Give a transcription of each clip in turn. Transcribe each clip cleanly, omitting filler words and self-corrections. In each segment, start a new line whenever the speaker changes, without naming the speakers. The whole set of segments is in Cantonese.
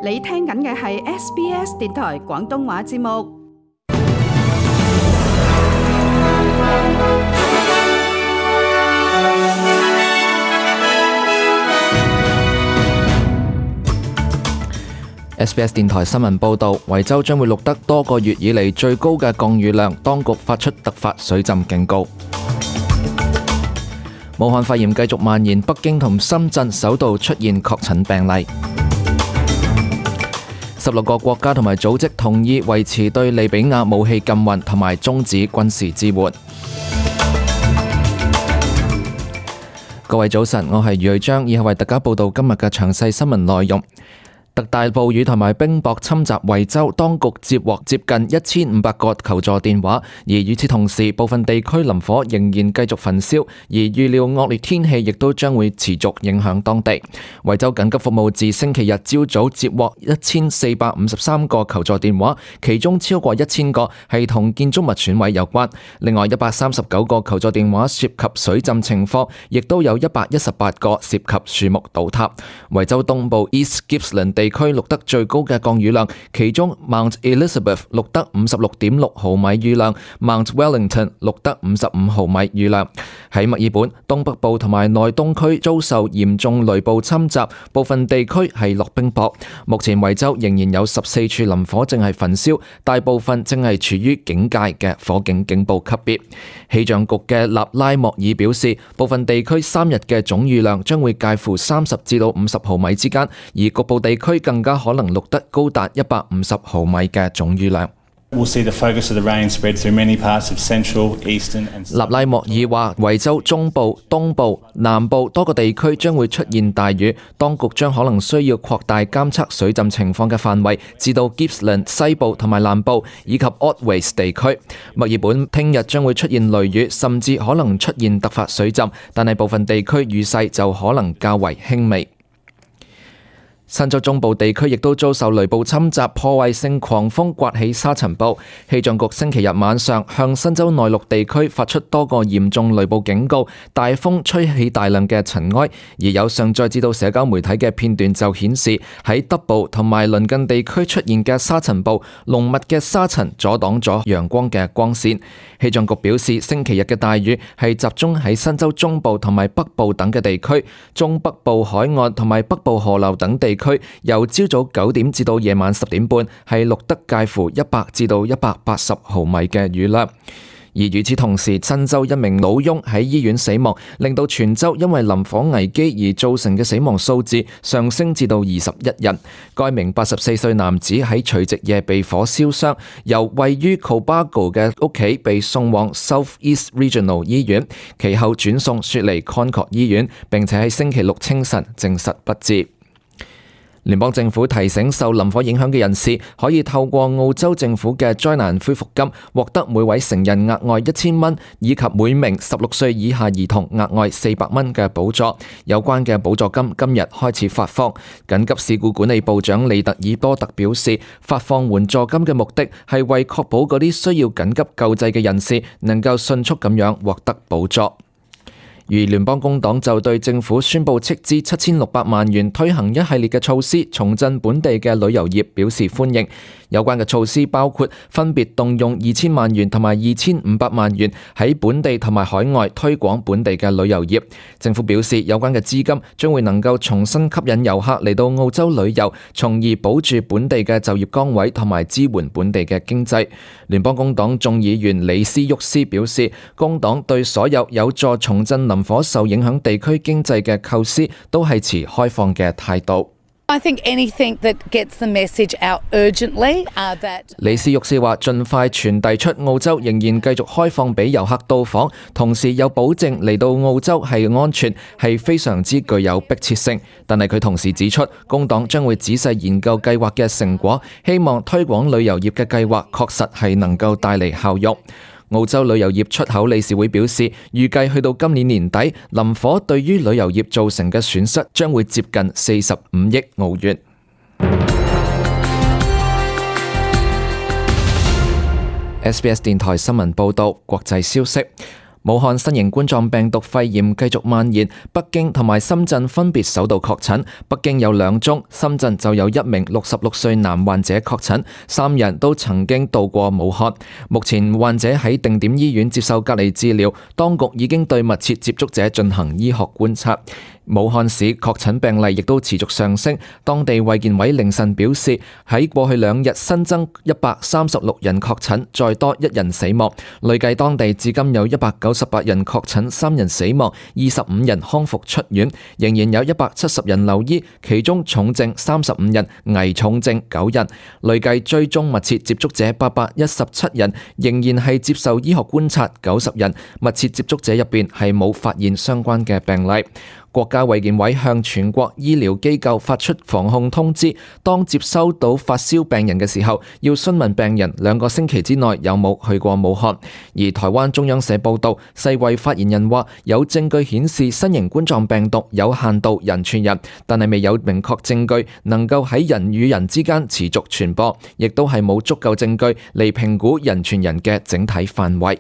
你聽緊嘅係 SBS 電台廣東話節目。
SBS 電台新聞報導，維州將會錄得多個月以嚟最高嘅降雨量，當局發出突發水浸警告。武漢肺炎繼續蔓延，北京同深圳首度出現確診病例。16個國家同埋組織同意維持對利比亞武器禁運同埋終止軍事支援。各位早晨，我係余瑞章，以下為大家報道今日嘅詳細新聞內容。特大暴雨同埋冰雹侵襲維州，當局接獲接近1500個求助電話，而與此同時，部分地區林火仍然繼續焚燒，而預料惡劣天氣亦都將會持續影響當地。維州緊急服務自星期日朝早接獲1453個求助電話，其中超過1000個係同建築物損毀有關。另外139個求助電話涉及水浸情況，亦都有118個涉及樹木倒塌。維州東部 East Gippsland地區錄得最高嘅降雨量，其中 Mount Elizabeth 錄得56.6毫米雨量， Mount Wellington 錄得55毫米雨量。喺墨爾本東北部同埋內東區遭受嚴重雷暴侵襲，部分地區係落冰雹。目前維州仍然有14處林火正係焚燒，大部分正係處於警戒嘅火警警報級別。氣象局嘅納拉莫爾表示，部分地區3日嘅總雨量將會介乎30至到50毫米之間，而局部地區更加可能錄得高達150毫米嘅總雨量。納拉莫爾話，維州中部、東部、南部多個地區將會出現大雨，當局將可能需要擴大監測水浸情況嘅範圍，至到 Gippsland 西部同埋南部以及 Otways 地區。墨爾本聽日將會出現雷雨，甚至可能出現突發水浸，但係部分地區雨勢就可能較為輕微。新州中部地區亦都遭受雷暴侵襲，破壞性狂風刮起沙塵暴。氣象局星期日晚上向新州內陸地區發出多個嚴重雷暴警告，大風吹起大量嘅塵埃，而有上載至到社交媒體嘅片段就顯示喺德堡同埋鄰近地區出現嘅沙塵暴，濃密嘅沙塵阻擋咗陽光嘅光線。氣象局表示，星期日嘅大雨係集中喺新州中部同埋北部等嘅地區，中北部海岸同埋北部河流等地區由朝早9點至到夜晚10點半係錄得介乎100至到180毫米嘅雨量。而與此同時，新州一名老翁喺醫院死亡，令到全州因為林火危機而造成嘅死亡數字上升至到21人。該名84歲男子喺除夕夜被火燒傷，由位於 Cobargo 嘅屋企被送往 South East Regional 醫院，其後轉送雪梨 Concord 醫院，並且喺星期六清晨證實不治。聯邦政府提醒受林火影響嘅人士，可以透過澳洲政府嘅災難恢復金獲得每位成人額外1000蚊，以及每名16歲以下兒童額外400蚊嘅補助。有關嘅補助金今日開始發放。緊急事故管理部長利特爾多特表示，發放援助金嘅目的係為確保嗰啲需要緊急救濟嘅人士能夠迅速咁樣獲得補助。而聯邦工黨就對政府宣布斥資7600萬元推行一系列嘅措施，重振本地嘅旅遊業表示歡迎。有關嘅措施包括分別動用2000萬元同埋2500萬元喺本地同埋海外推廣本地嘅旅遊業。政府表示，有關嘅資金將會能夠重新吸引遊客嚟到澳洲旅遊，從而保住本地嘅就業崗位同埋支援本地嘅經濟。聯邦工黨眾議員李斯沃斯表示，工黨對所有有助重振林火受影響地區經濟嘅構思都係持開放嘅態度。
I think anything that gets the message out urgently, that
李斯沃斯話，盡快傳遞出澳洲仍然繼續開放俾遊客到訪，同時有保證嚟到澳洲係安全，係非常之具有迫切性。但係佢同時指出，工黨將會仔細研究計劃嘅成果，希望推廣旅遊業嘅計劃確實係能夠帶嚟效用。澳洲旅遊業出口理事會表示，預計去到今年年底，林火對於旅遊業造成嘅損失將會接近45億澳元。SBS 電台新聞報道，國際消息。武漢新型冠狀病毒肺炎繼續蔓延，北京同埋深圳分別首度確診，北京有2宗，深圳就有1名66歲男患者確診，3人都曾經到過武漢。目前患者喺定點醫院接受隔離治療，當局已經對密切接觸者進行醫學觀察。武漢市確診病例亦都持續上升，當地衛健委凌晨表示，喺過去2日新增136人確診，再多1人死亡，累計當地至今有198人確診，3人死亡，25人康復出院，仍然有170人留醫，其中重症35人，危重症9人，累計追蹤密切接觸者817人，仍然係接受醫學觀察90人，密切接觸者入邊係冇發現相關嘅病例。國家衛健委向全國醫療機構發出防控通知，當接收到發燒病人嘅時候，要詢問病人2個星期之內有冇去過武漢。而台灣中央社報道，世衛發言人話有證據顯示新型冠狀病毒有限度人傳人，但係未有明確證據能夠喺人與人之間持續傳播，亦都係冇足夠證據嚟評估人傳人嘅整體範圍。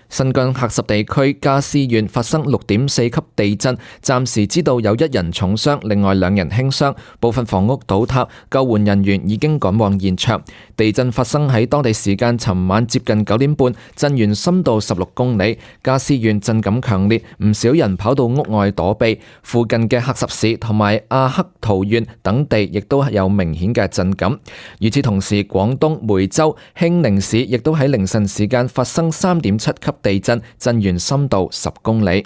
新疆喀什地區加斯縣發生6.4級地震，暫時知道有1人重傷，另外2人輕傷，部分房屋倒塌，救援人員已經趕往現場。地震發生喺當地時間尋晚接近9點半，震源深度16公里。加斯縣震感強烈，唔少人跑到屋外躲避。附近嘅喀什市同埋阿克圖縣等地亦都有明顯嘅震感。與此同時，廣東梅州興寧市亦都喺凌晨時間發生3.7級地震，震源深度10公里。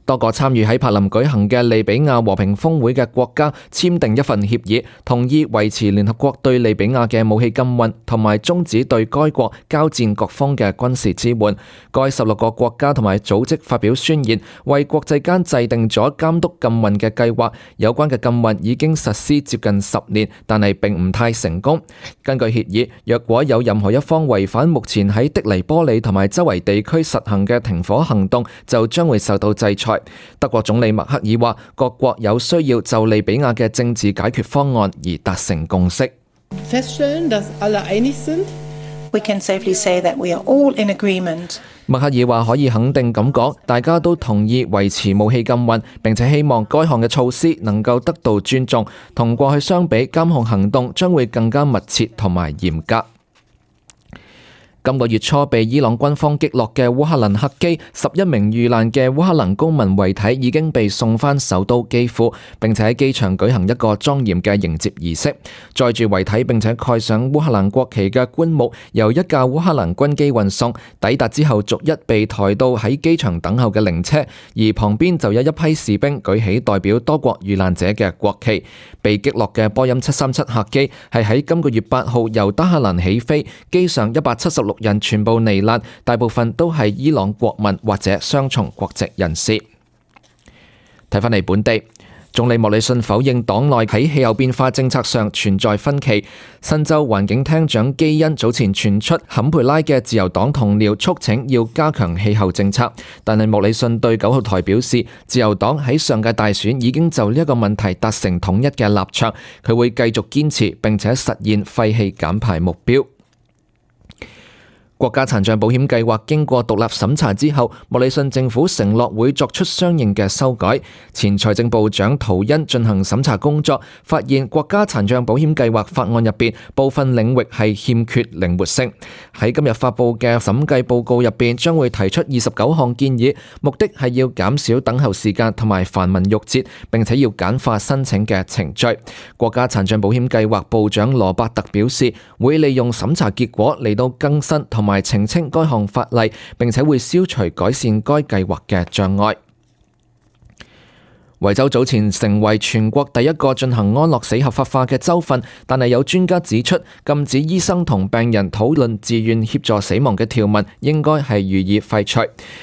多個參與喺柏林舉行嘅利比亞和平峰會嘅國家簽訂一份協議，同意維持聯合國對利比亞嘅武器禁運，同埋終止對該國交戰各方嘅軍事支援。該16個國家同埋組織發表宣言，為國際間制定咗監督禁運嘅計劃。有關嘅禁運已經實施接近10年，但係並唔太成功。根據協議，若果有任何一方違反目前喺的黎波里同埋周圍地區實行嘅停火行動，就將會受到制裁。德國總理默克爾話，各國有需要就利比亞嘅政治解決方案而達成共識。
We can safely say that we are all in agreement.
默克爾話可以肯定咁講，大家都同意維持武器禁運，並且希望該項嘅措施能夠得到尊重。同過去相比，監控行動將會更加密切同埋嚴格。今個月初被伊朗軍方擊落嘅烏克蘭客機，11名遇難嘅烏克蘭公民遺體已經被送返首都基輔，並且喺機場舉行一個莊嚴嘅迎接儀式。載住遺體並且蓋上烏克蘭國旗嘅棺木，由一架烏克蘭軍機運送，抵達之後逐一被抬到喺機場等候嘅靈車，而旁邊就有一批士兵舉起代表多國遇難者嘅國旗。被擊落嘅波音737客機係喺今個月8號由德黑蘭起飛，機上176人全部罹難，大部分都係伊朗國民或者雙重國籍人士。睇返嚟本地，總理莫里遜否認黨內喺氣候變化政策上存在分歧。新州環境廳長基恩早前傳出坎培拉嘅自由黨同僚促請要加強氣候政策，但係莫里遜對9號台表示，自由黨喺上屆大選已經就呢一個問題達成統一嘅立場，佢會繼續堅持並且實現廢氣減排目標。國家殘障保險計劃經過獨立審查之後，莫里遜政府承諾會作出相應嘅修改。前財政部長圖恩進行審查工作，發現國家殘障保險計劃法案入邊部分領域係欠缺靈活性。喺今日發布嘅審計報告入邊，將會提出29項建議，目的係要減少等候時間同埋繁文縟節，並且要簡化申請嘅程序。國家殘障保險計劃部長羅伯特表示，會利用審查結果嚟到更新同埋澄清該項法例，並且會消除改善該計劃嘅障礙。維州早前成為全國第一個進行安樂死合法化嘅州份，但係有專家指出，禁止醫生同病人討論自願協助死亡嘅條文應該係予以廢除。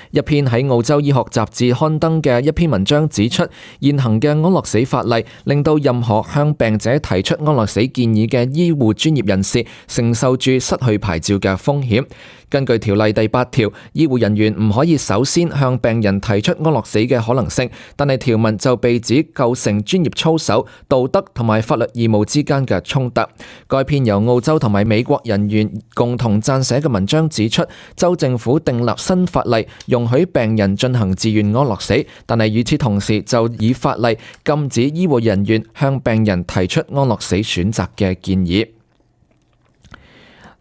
一篇喺澳洲醫學雜誌刊登嘅一篇文章指出，現行嘅安樂死法例令到任何向病者提出安樂死建議嘅醫護專業人士承受住失去牌照嘅風險。根據條例第8條，醫護人員唔可以首先向病人提出安樂死嘅可能性，但係條文就被指構成專業操守、道德同埋法律義務之間嘅衝突。該篇由澳洲同埋美國人員共同撰寫嘅文章指出，州政府訂立新法例容許病人進行自願安樂死，但係與此同時就以法例禁止醫護人員向病人提出安樂死選擇嘅建議。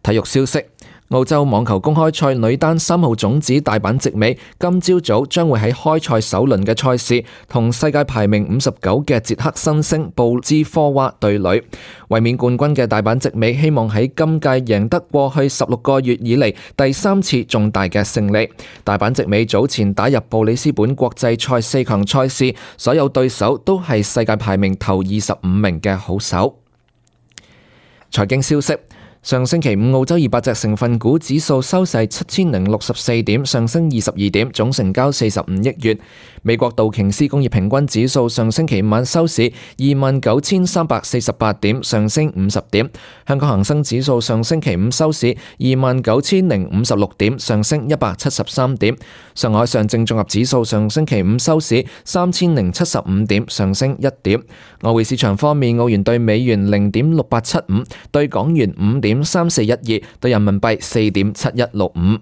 體育消息。澳洲網球公開賽女單3號種子大阪直美今朝早將會喺開賽首輪嘅賽事同世界排名59嘅捷克新星布茲科娃對壘。衛冕冠軍嘅大阪直美希望喺今屆贏得過去16個月以嚟第3次重大嘅勝利。大阪直美早前打入布里斯本國際賽4強賽事，所有對手都係世界排名頭25名嘅好手。財經消息。上星期五，澳洲200隻成分股指數收市7064點，上升22點，總成交45億元。美國道瓊斯工業平均指數上星期五晚收市29348點，上升50點。香港恒生指數上星期五收市29056點，上升173點。上海上證綜合指數上星期五收市3075點，上升1點。外匯市場方面，澳元對美元0.6875，對港元5.3412，對人民幣4.7165。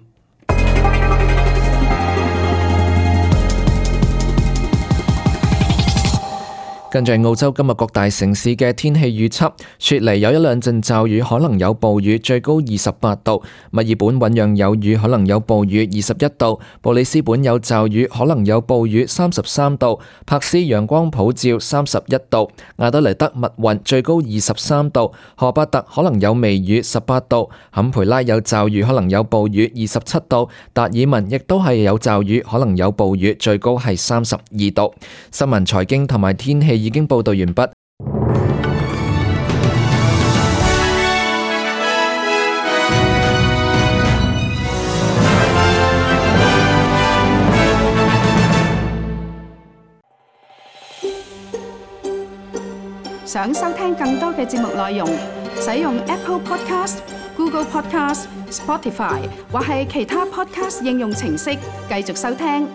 跟住澳洲今日各大城市嘅天氣預測，雪梨有一兩陣驟雨，可能有暴雨，最高28度；墨爾本醞釀有雨，可能有暴雨，21度；布里斯本有驟雨，可能有暴雨，33度；柏斯陽光普照，31度；亞德萊德密雲，最高23度；荷巴特可能有微雨，18度；坎培拉有驟雨，可能有暴雨，27度；達爾文亦都係有驟雨，可能有暴雨，最高係32度。新聞、財經同埋天氣已經報道完畢。
想收聽更多嘅節目內容，使用 Apple Podcast、Google Podcast、Spotify 或係其他 Podcast 應用程式繼續收聽。